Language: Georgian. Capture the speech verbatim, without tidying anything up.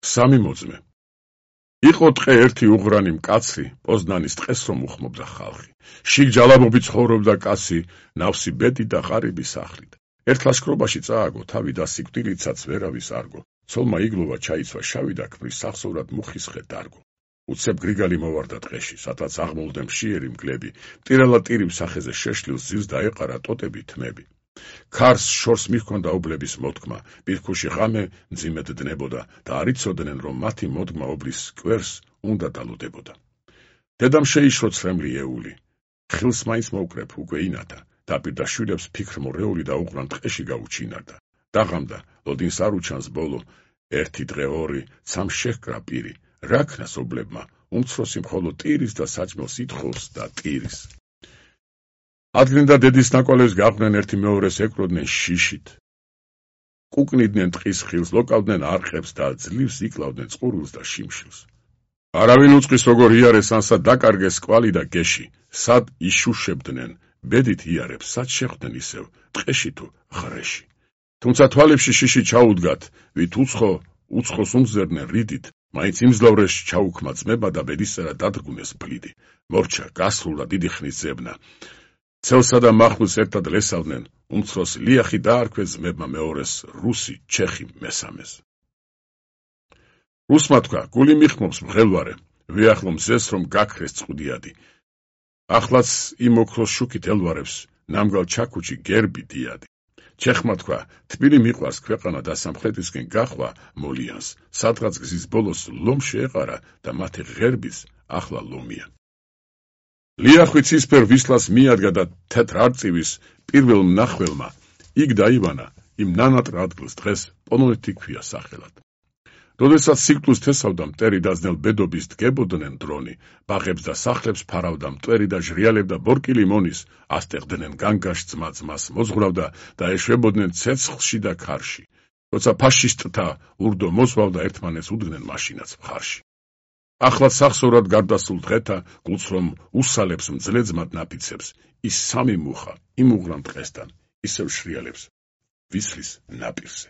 სამი მოძმე. იყო ტყე ერთი უღრანი მკაცრი, პოზნანის ტყეს რომ უხმობდა ხალხი. შიგ ჯალაბობით ცხოვრობდა კაცი, ნავსი ბედი და ღარიბი სახლით. ერთ ლაშქრობაში წააგო, თავი და სიკვდილიცაც ვერავის არგო. ცოლმა იგლოვა ჩაიცვა შავი და ქმრის სახსოვრად მუხის ხე დარგო. უცებ გრიგალი მოვარდა ტყეში, სადაც აღმოლდა მშიერი მგლები, ტირალა ტირიმ სახეზე შეშლილს ძილს დაეყარა ტოტები თმები. ქარს შორს მიჰქონდა ობლების მოთქმა, პირქუში ღამე მძიმედ დნებოდა და არ იცოდნენ, რომ მათი მოდგმა ობლის კვერს უნდა დალუდებოდა. დედამ შეიშრო ცრემლი ეული, ხილს მაინც მოუკრებ უკვე ინათა, დაპირდა შვილებს ფიქრმორეული და უღრან ტყეში გაუჩინარდა. დაღამდა, ლოდინს არ უჩანს ბოლო, ერთი დღე ორი, ცამ შეჰკრა პირი, რა ქნას ობლებმა, უმცროსი მხოლოდ ტირის და საჭმელს ითხოვს და ტირის. ადგენდა დედის ნაკვალევს გაყვნენ ერთი მეორეს ეკროდნენ შიშით. კუკნიდნენ ტყის ხილს, ლოკავდნენ არყებს და ძლივს იკლავდნენ წყურვილს და შიმშილს. არავინ უწყის როგორ იარეს ანსა დაკარგეს კვალი და გეში, სად იშუშებდნენ, ბედით იარებს, სად შეხვდნენ ისევ, ტყეში თუ ღრეში. თუმცა თვალებში შიში ჩაუდგათ, ვით უცხო, უცხოს უმზერდნენ რიდით, მაინც იმძლავრეს ჩაუქმა ძმება და ბედისწერა დადრგუნეს ბლიდი. მორჩა, გასრულა დიდი ხნის ზებნა. ცელსა და მახვილს ერთად ლესავდნენ, უმცროს ლიახი დაარქვეს ძმებმა მეორეს, რუსი, ჩეხი მესამეს. რუსმა თქვა, გული მიხმობს მღელვარე, ვეახლო მზეს რომ გაქრეს წყუდიადი. ახლაც იმ ოქროს შუქით ელვარებს, ნამგალ ჩაქუჩი გერბი დიადი. ჩეხმა თქვა, თბილი მიყვარს ქვეყანა და სამხრეთისკენ გახვა მოლიანს, სადღაც გზის ბოლოს ლომ შეეყარა და მათი ღერბიც ახლა ლომია. ლიახვი ცისფერ ვისლას მიადგა და თეთრ არწივის პირველ მნახველმა, იქ დაივანა იმ ნანატრ ადგილს დღეს პონონეთი ქვია სახელად. როდესაც სიკვდილს თესავდა მტერი დაძნელ ბედობის დგებოდნენ დრონი, ბაღებს და სახლებს ფარავდა მტვერი და ჟრიალებდა ბორკილი მონის, ასტեղდნენ განგაშ ძმა ძმას, მოძღვრავდა და ეშვებოდნენ ცეცხლში და ქარში. როცა ფაშისტთა ურდო მოსვალდა ერთმანეთს უდგნენ მაშინაც მხარში. ახლა სახსოვრად გარდასულ დღეთა, გულს რომ უსალებს მძლეძმად ნაფიცებს, ის სამი მუხა იმ უღრან ტყესთან ისევ შრიალებს ვისლის ნაპირზე.